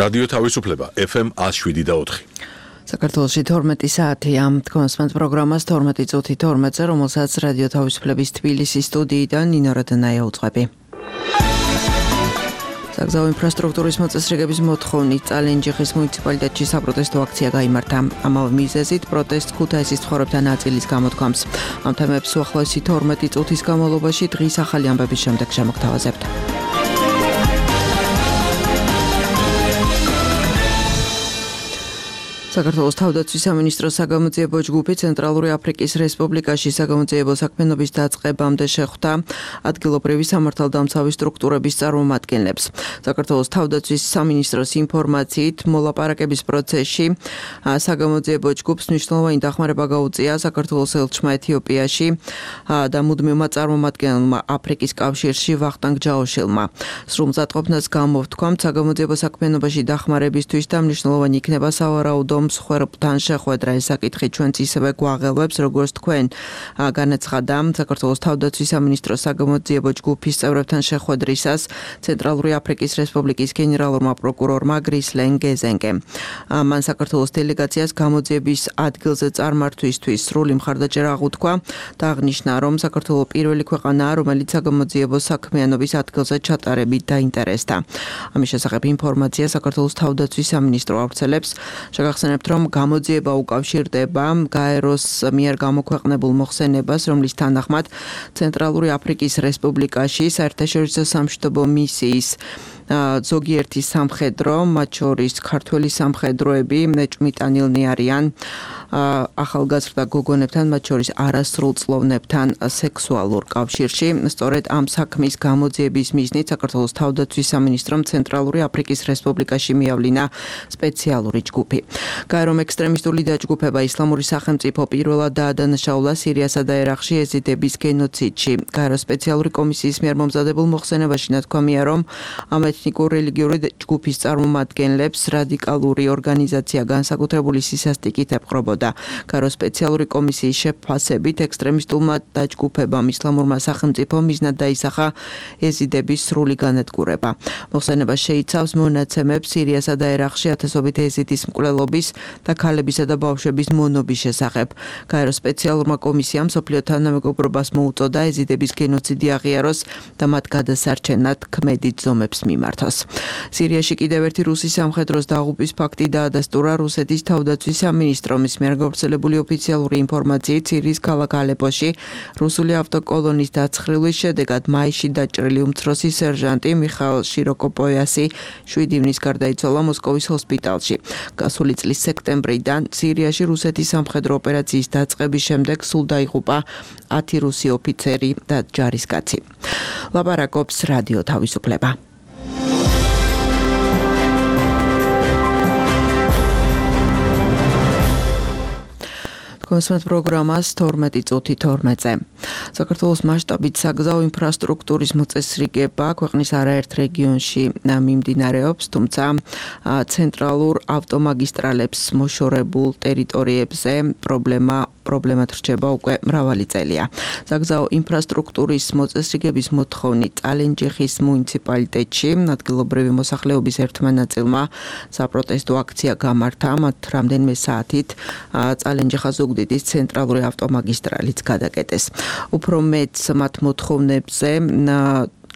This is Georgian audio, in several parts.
რადიო თავისუფლება FM 107.4. საქართველოში 12 საათია. კონსპენს პროგრამას 12 წუთი 12-ზე, რომელსაც რადიო თავისუფლების თბილისის სტუდიიდან ნინო რადანაია უძღვები. საგზაო ინფრასტრუქტურის მოწესრიგების მოთხოვნით წალენჯიხის მუნიციპალიტეტში საპროტესტო აქცია გაიმართა. ამავე მიზეზით პროტესტს ქუთაისის მცხოვრებთა ნაწილის გამოთქვამს. ამ თემებს უახლოესი 12 წუთის განმავლობაში დღის ახალი ამბების შემდეგ შემოგთავაზებთ. საქართველოს თავდაცვის სამინისტროს საგამოძიებო ჯგუფი ცენტრალური აფრიკის რესპუბლიკაში საგამოძიებო საქმიანობის დაწყებამდე შეხვდა ადგილობრივი სამართალდამცავი სტრუქტურების წარმომადგენლებს. საქართველოს თავდაცვის სამინისტროს ინფორმაციით მოლაპარაკების პროცესში საგამოძიებო ჯგუფს მნიშვნელოვანი დახმარება გაუწია საქართველოს ელჩმა ეთიოპიაში და მუდმივმა წარმომადგენელმა აფრიკის კავშირში ვახტანგ ჯაოშილმა. სრულ მზადყოფნას გამოვთქვამთ საგამოძიებო საქმიანობაში დახმარებისთვის და მნიშვნელოვანი იქნება სავარაუდო მსხვერპლთან შეხვედრა. ეს საკითხი ჩვენც ისევე გვაღელვებს, როგორც თქვენ განაცხადა საქართველოს თავდაცვის სამინისტროს საგამოძიებო ჯგუფის წევრებთან შეხვედრისას ცენტრალური აფრიკის რესპუბლიკის გენერალურმა პროკურორმა გრისლენ გეზენკემ. მან საქართველოს დელეგაციას გამოძიების ადგილზე წარმართვისთვის სრული მხარდაჭერა აღუთქვა და აღნიშნა, რომ საქართველო პირველი ქვეყანაა, რომელიც საგამოძიებო საქმიანობის ადგილზე ჩატარებით დაინტერესდა. ამის შესახებ ინფორმაცია საქართველოს თავდაცვის სამინისტრო ავრცელებს. შეგახსენებთ, რომ გამოძიება უკავშირდება გაეროს მიერ გამოქვეყნებულ მოხსენებას, რომლის თანახმად ცენტრალური აფრიკის რესპუბლიკაში საერთაშორისო სამშვიდობო მისიის ზოგიერთი სამხედრო, მათ შორის ქართველი სამხედროები ჭმიტანილნი არიან ახალგაზრდა გოგონებთან, მათ შორის არასრულწლოვნებთან სექსუალურ კავშირში. სწორედ ამ საქმის გამოძიების მიზნით საქართველოს თავდაცვის სამინისტრომ ცენტრალური აფრიკის რესპუბლიკაში მიავლინა სპეციალური ჯგუფი. გაერომ ექსტრემისტული დაჯგუფება ისლამური სახელმწიფო პირველად დაადანაშაულა სირიასა და ერაყში ეზიდების გენოციდში. გაეროს სპეციალური კომისიის მიერ მომზადებულ მოხსენებაში ნათქვამია, რომ ამ ეთნიკურ-რელიგიური ჯგუფის წარმომადგენლებს რადიკალური ორგანიზაცია განსაკუთრებული სისასტიკით ეპყრობოდა. გაეროს სპეციალური კომისიის შეფასებით ექსტრემისტულმა დაჯგუფებამ ისლამურმა სახელმწიფომ მიზნად დაისახა ეზიდების სრული განადგურება. მოხსენება შეიცავს მონაცემებს სირიასა და ერაყში ათასობით ეზიდის მკვლელობის და ქალებისა და ბავშვების მონობის შესახებ. გაეროს სპეციალურმა კომისიამ მსოფლიო თანამეგობრობას მოუწოდა ეზიდების გენოციდი აღიაროს და მათ გადასარჩენად ქმედით ზომებს მიმართოს. სირიაში კიდევ ერთი რუსი სამხედროს დაღუპვის ფაქტი დაადასტურა რუსეთის თავდაცვის სამინისტროს მიერ გავრცელებული ოფიციალური ინფორმაციით სირიის ქალაქ ალეპოში რუსული ავტოკოლონის დაცხრილის შედეგად მაისში დაჭრილი უმცროსი სერჟანტი მიხაილ შიროკოპოიასი 7 ივნის გარდაიცვალა მოსკოვის ჰოსპიტალში. გასული წლის სექტემბრიდან სირიაში რუსეთის სამხედრო ოპერაციის დაწყების შემდეგ სულ დაიღუპა 10 რუსი ოფიცერი და ჯარისკაცი. ლაპარაკობს რადიო თავისუფლება. კონსპენს პროგრამას 12 წუთი 12-ზე. საქართველოს მასშტაბით საგზაო ინფრასტრუქტურის მოწესრიგება ქვეყნის არაერთ რეგიონში მიმდინარეობს, თუმცა ცენტრალურ ავტომაგისტრალებს მოშორებულ ტერიტორიებზე პრობლემად რჩება უკვე მრავალი წელია. საგზაო ინფრასტრუქტურის მოწესრიგების მოთხოვნით წალენჯიხის მუნიციპალიტეტში ადგილობრივი მოსახლეობის ერთმა ნაწილმა საპროტესტო აქცია გამართა, მათ რამდენიმე საათით წალენჯიხა ზუგდიდის ცენტრალური ავტომაგისტრალიც გადაკეტეს. უფრო მეტს მათ მოთხოვნებზე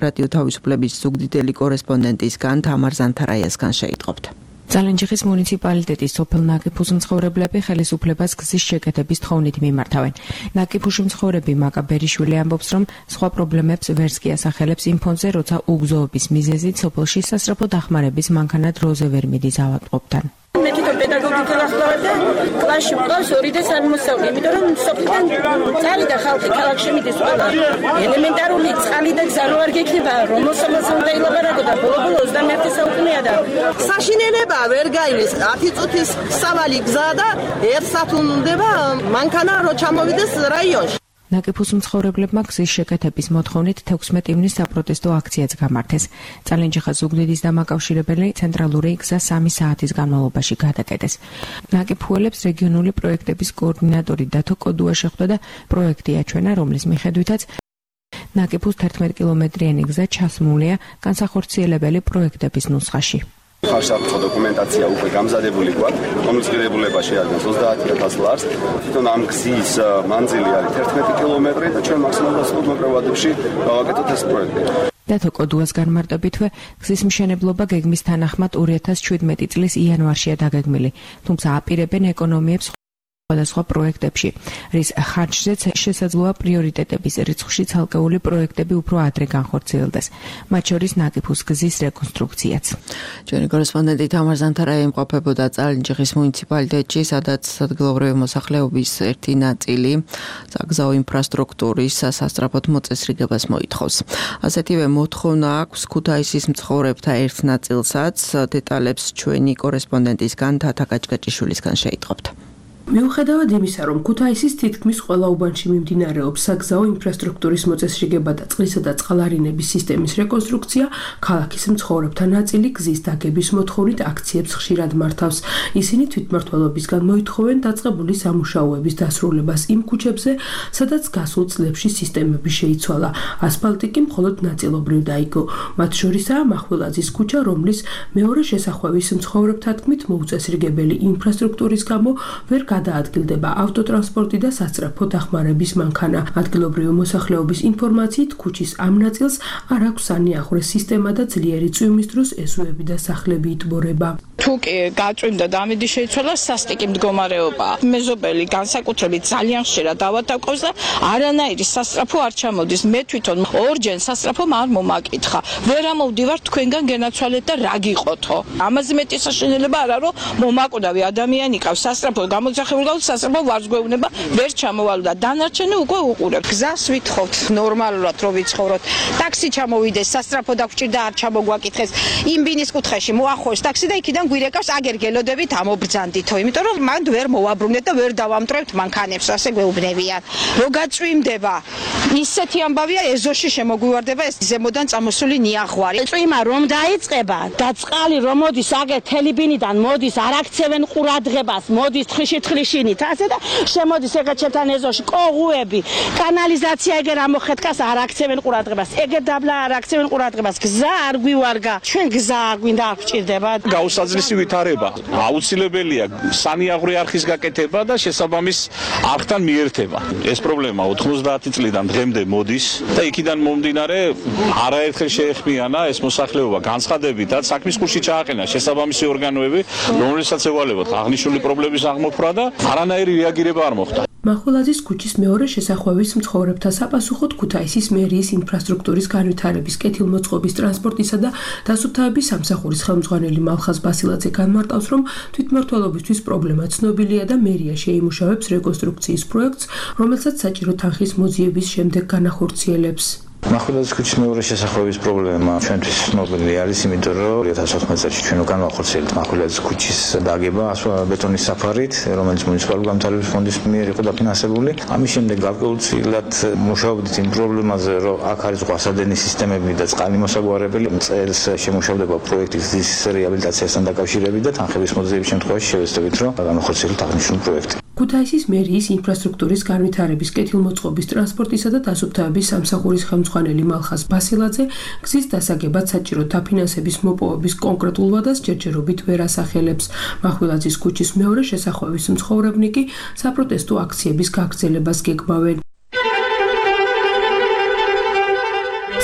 რადიო თავისუფლების ზუგდიდელი კორესპონდენტისგან თამარ ზანთარაიასგან შეიტყობთ. წალენჯიხის მუნიციპალიტეტის სოფელ ნაკიფუს მცხოვრებლები ხელისუფლებას გზის შეკეთების თხოვნით მიმართავენ. ნაკიფუში მცხოვრები მაკა ბერიშვილი ამბობს, რომ სხვა პრობლემებს ვერც კი ასახელებს იმ ფონზე, როცა უგზოობის მიზეზით სოფელში სასწრაფო დახმარების მანქანა დროზე ვერ მიდის ავადმყოფთან. მე თვითონ პედაგოგი ვახლავ და კლასში მყავს 2 და 3 მოსწავლე, იმიტომ რომ სოფლიდან წავიდა ხალხი ქალაქში მიდის ყველა. ელემენტარული წყალი და გზა რო არ გექნება, რომ მოსამართლე უნდა ილაპარაკო და ბოლო 21 საუკუნეა და საშინელება ვერ გაივლის 10 წუთის სავალი გზა და 1 საათი უნდა მანქანა რო ჩამოვიდეს რაიონში. ნაკიფუს მცხოვრებლებმა გზის შეკეთების მოთხოვნით 16 ივნის საპროტესტო აქციაც გამართეს. წალენჯიხა ზუგდიდის დამაკავშირებელი ცენტრალური გზა 3 საათის განმავლობაში გადაკეტეს. ნაკიფუელებს რეგიონული პროექტების კოორდინატორი დათო კოდუა შეხვდა და პროექტი აჩვენა, რომლის მიხედვითაც ნაკიფუს 11 კილომეტრიანი გზა ჩასმულია განსახორციელებელი პროექტების ნუსხაში. ხარშსაფრთხო დოკუმენტაცია უკვე გამზადებული გვაქვს, რომლის ღირებულება შეადგენს 30,000 ლარს. თვითონ ამ გზის მანძილი არის 11 კილომეტრი და ჩვენ მაქსიმალურად მოგვიყვებადებში გავაკეთოთ ეს პროექტი. დათო კოდუას განმარტებითვე გზის მშენებლობა გეგმის თანახმად 2017 წლის იანვარშია დაგეგმილი, თუმცა აპირებენ ეკონომიებს სხვადასხვა პროექტებში, რის ხარჯზეც შესაძლოა პრიორიტეტების რიცხვში ცალკეული პროექტები უფრო ადრე განხორციელდეს, მათ შორის ნაკიფუს გზის რეკონსტრუქციაც. ჩვენი კორესპონდენტი თამარ ზანთარაი იმყოფებოდა წალენჯიხის მუნიციპალიტეტში, სადაც ადგილობრივი მოსახლეობის ერთი ნაწილი საგზაო ინფრასტრუქტურის სასწრაფოდ მოწესრიგებას მოითხოვს. ასეთივე მოთხოვნა აქვს ქუთაისის მცხოვრებთა ერთ ნაწილსაც, დეტალებს ჩვენი კორესპონდენტისგან თათა გაჭგაჭიშვილისგან შეიტყობთ. მიუხედავად იმისა, რომ ქუთაისის თითქმის ყველა უბანში მიმდინარეობს საგზაო ინფრასტრუქტურის მოწესრიგება და წყლისა და წყალარინების სისტემის რეკონსტრუქცია, ქალაქის მცხოვრებთა ნაწილი გზის დაგების მოთხოვნით აქციებს ხშირად მართავს. ისინი თვითმმართველობისგან მოითხოვენ დაწყებული სამუშაოების დასრულებას იმ ქუჩებზე, სადაც გასულ წლებში სისტემები შეიცვალა. ასფალტი კი მხოლოდ ნაწილობრივ დაიგო. მათ შორისაა მახვილაძის ქუჩა, რომლის მეორე შესახვევის მცხოვრებთა თქმით მოუწესრიგებელი ინფრასტრუქტურის გამო ვერ გადაადგილდება ავტოტრანსპორტი და სასწრაფო დახმარების მანქანა. ადგილობრივი მოსახლეობის ინფორმაციით ქუჩის ამ ნაწილს არ აქვს სანიაღვრე სისტემა და ძლიერი წვიმის დროს ესოები და სახლები იტბორება. თუ კი გაწვიმდა და ამიდი შეიცვალა, სასტიკი მდგომარეობა. მეზობელი განსაკუთრებით ძალიან ხშირად დავატაკობს და არანაირი სასწრაფო არ ჩამოდის. მე თვითონ ორჯერ სასწრაფომ არ მომაკითხა. ვერ ამოვდივარ თქვენგან გენაცვალეთ და რა გიყოთო. ამაზე მეტი საშინელება არა, რომ მომაკვდავი ადამიანი ყავს სასწრაფო გამოძახებული გავს სასწრაფო ვარსგვევნება ვერ ჩამოვალ და დანარჩენი უკვე უყურებ. გზას ვითხოვთ ნორმალურად რომ ვიცხოვროთ. ტაქსი ჩამოვიდეს, სასწრაფო დაგვჭირდა არ ჩამოგვაკითხეს. იმ ბინის კუთხეში მოახოს ტაქსი და იქიდან გვირეკავს აგერგელოდებით ამობრძანდითო, იმიტომ რომ მანდ ვერ მოვაბრუნეთ და ვერ დავამტრევთ მანქანებს, ასე გვეუბნებიან. რო გაწვიმდება, ისეთი ამბავია ეზოში შემოგვივარდება ეს ზემოდან წამოსული ნიაღვარი. წვიმა რომ დაიწყება და წყალი რომ მოდის აგერ თელიბინიდან მოდის, არ აქცევენ ყურადღებას, მოდის თხიშინით, ასე და შემოდის ეგრე ჩემთან ეზოში კოღუები, კანალიზაცია ეგერ ამოხეთკას არ აქცევენ ყურადღებას. ეგერ დაბლა არ აქცევენ ყურადღებას. გზა არ გვივარგა. ჩვენ გზა არ გვინდა არ გვჭირდება. გაუსაძლისი ვითარება. აუცილებელია სანიაღვრე არხის გაკეთება და შესაბამის არხთან მიერთება. ეს პრობლემა 90 წლიდან დღემდე მოდის და იქიდან მომდინარე არაერთხელ შეეხმიანა ეს მოსახლეობა განცხადებითაც საქმის კურსში ჩააყენა შესაბამისი ორგანოები, რომლებსაც ევალებათ აღნიშნული პრობლემის აღმოფხვრა და არანაირი რეაგირება არ მოხდა. მახვილაძის ქუჩის მეორე შესახვევის მცხოვრებთა საპასუხოდ ქუთაისის მერიის ინფრასტრუქტურის განვითარების კეთილმოწყობის ტრანსპორტისა და დასუფთავების სამსახურის ხელმძღვანელი მალხაზ ბასილაძე განმარტავს, რომ თვითმმართველობისთვის პრობლემა ცნობილია და მერია შეიმუშავებს რეკონსტრუქციის პროექტს, რომელსაც საჭირო თანხის მოძიების შემდეგ განახორციელებს. მახვილაძის ქუჩის მეორე შესახვევის პრობლემა ჩვენთვის ცნობილი არის, იმიტომ რომ 2014 წელს ჩვენ უკან ვახორციელებთ მახვილაძის ქუჩის დაგება ბეტონის საფარით, რომელიც მუნიციპალური განვითარების ფონდის მიერ იყო დაფინანსებული. ამის შემდეგ გარკვეულწილად მუშაობდით იმ პრობლემაზე, რომ აქ არის ზღვასადენის სისტემები და წყალი მოსაგვარებელი. წელს შემუშავდება პროექტი გზის რეაბილიტაციასთან დაკავშირებით და თანხების მოძიების შემთხვევაში შევეცდებით, რომ განახორციელოთ აღნიშნული პროექტი. ქუთაისის მერიის ინფრასტრუქტურის განვითარების კეთილმოწყობის ტრანსპორტისა და დასუფთავების სამსახურის ხელმძღვანელი მალხაზ ბასილაძე გზის დასაგებად საჭირო დაფინანსების მოპოვების კონკრეტულ ვადას ჯერჯერობით ვერ ასახელებს. მახვილაძის ქუჩის მეორე შესახვევის მცხოვრებნი კი საპროტესტო აქციების გაგრძელებას გეგმავენ.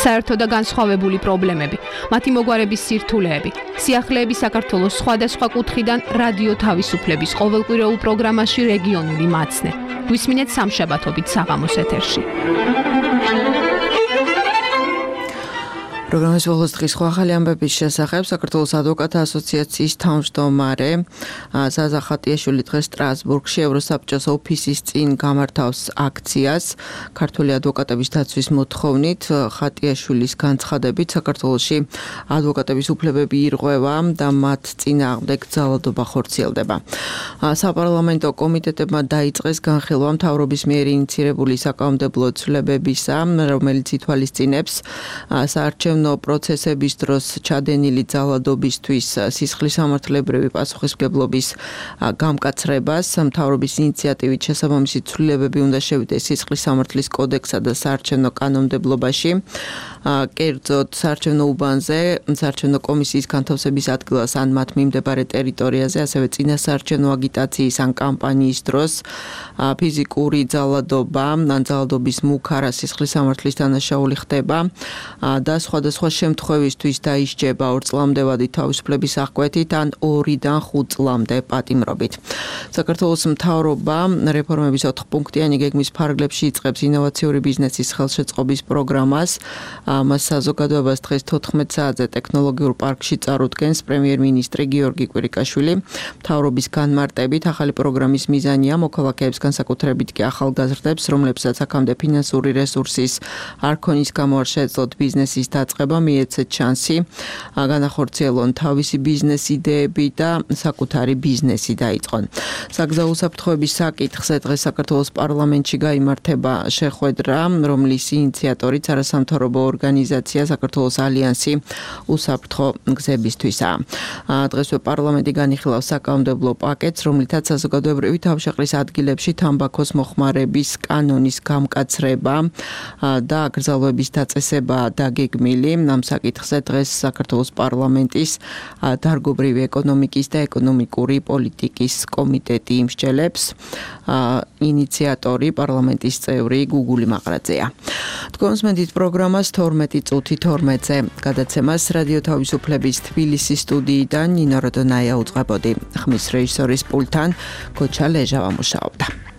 საერთო და განსხვავებული პრობლემები, მათი მოგვარების სირთულეები, სიახლეები საქართველოს სხვადასხვა კუთხიდან რადიო თავისუფლების ყოველკვირეულ პროგრამაში რეგიონული მაცნე. გვისმინეთ სამშაბათობით საღამოს ეთერში. პროგრამის ბოლოს დღის ახალი ამბების შესახებ საქართველოს ადვოკატთა ასოციაციის თავმჯდომარე ზაზა ხატიაშვილი დღეს სტრასბურგში ევროსაბჭოს ოფისის წინ გამართავს აქციას. ქართული ადვოკატების დაცვის მოთხოვნით ხატიაშვილის განცხადებით საქართველოში ადვოკატების უფლებები ირღვევა და მათ წინააღმდეგ ძალადობა ხორციელდება. საპარლამენტო კომიტეტებმა დაიწყეს განხილვა მთავრობის მიერ ინიცირებული საკანონმდებლო ცვლილებებისა, რომელიც ითვალისწინებს საარჩევნო პროცესების დროს ჩადენილი ძალადობისთვის სისხლისამართლებრივი პასუხისმგებლობის გამკაცრებას. მთავრობის ინიციატივით შესაბამისი ცვლილებები უნდა შევიდეს სისხლისამართლის კოდექსსა და საარჩევნო კანონმდებლობაში. კერძოდ საარჩევნო უბანზე, საარჩევნო კომისიის განთავსების ადგილას ან მათ მიმდებარე ტერიტორიაზე, ასევე წინასაარჩევნო აგიტაციის ან კამპანიის დროს ფიზიკური ძალადობა, ან ძალადობის მუქარა სისხლის სამართლის დანაშაული ხდება და სხვადასხვა შემთხვევისთვის დაისჯება 2 წლამდე ვადით თავისუფლების აღკვეთით ან 2-დან 5 წლამდე პატიმრობით. საქართველოს მთავრობა რეფორმების 4 პუნქტიანი გეგმის ფარგლებში იწყებს ინოვაციური ბიზნესის ხელშეწყობის პროგრამას. მას საზოგადოებას დღეს 14 საათზე ტექნოლოგიურ პარკში წარუდგენს პრემიერ-მინისტრი გიორგი კვირიკაშვილი. მთავრობის განმარტებით ახალი პროგრამის მიზანია მოქალაქეებს განსაკუთრებით კი ახალგაზრდებს, რომლებსაც აქამდე ფინანსური რესურსის არ ქონის გამო არ შეეძლოთ ბიზნესის დაწყება, მიეცეთ შანსი განახორციელონ თავისი ბიზნეს იდეები და საკუთარი ბიზნესი დაიწყონ. საგზაო უსაფრთხოების საკითხზე დღეს საქართველოს პარლამენტში გაიმართება შეხვედრა, რომლის ინიციატორიც არასამთავრობო ორგანიზაცია საქართველოს ალიანსი უსაფრთხო გზებისთვისაა. დღესვე პარლამენტი განიხილავს საკანონმდებლო პაკეტს, რომლითაც საზოგადოებრივი თავშეყრის ადგილებში თამბაქოს მოხმარების კანონის გამკაცრება და აკრძალვების დაწესება დაგეგმილი. ამ საკითხზე დღეს საქართველოს პარლამენტის დარგობრივი ეკონომიკის და ეკონომიკური პოლიტიკის კომიტეტი იმსჯელებს. ინიციატორი პარლამენტის წევრი გუგული მაყრაძეა. თქვენს მედით პროგრამას 12 წუთი 12-ზე გადაცემას რადიო თავისუფლების თბილისის სტუდიიდან ნინო როდონაია უძღვებოდი. ხმის რეჟისორის პულტთან გოჩა ლეჟავა მუშაობდა.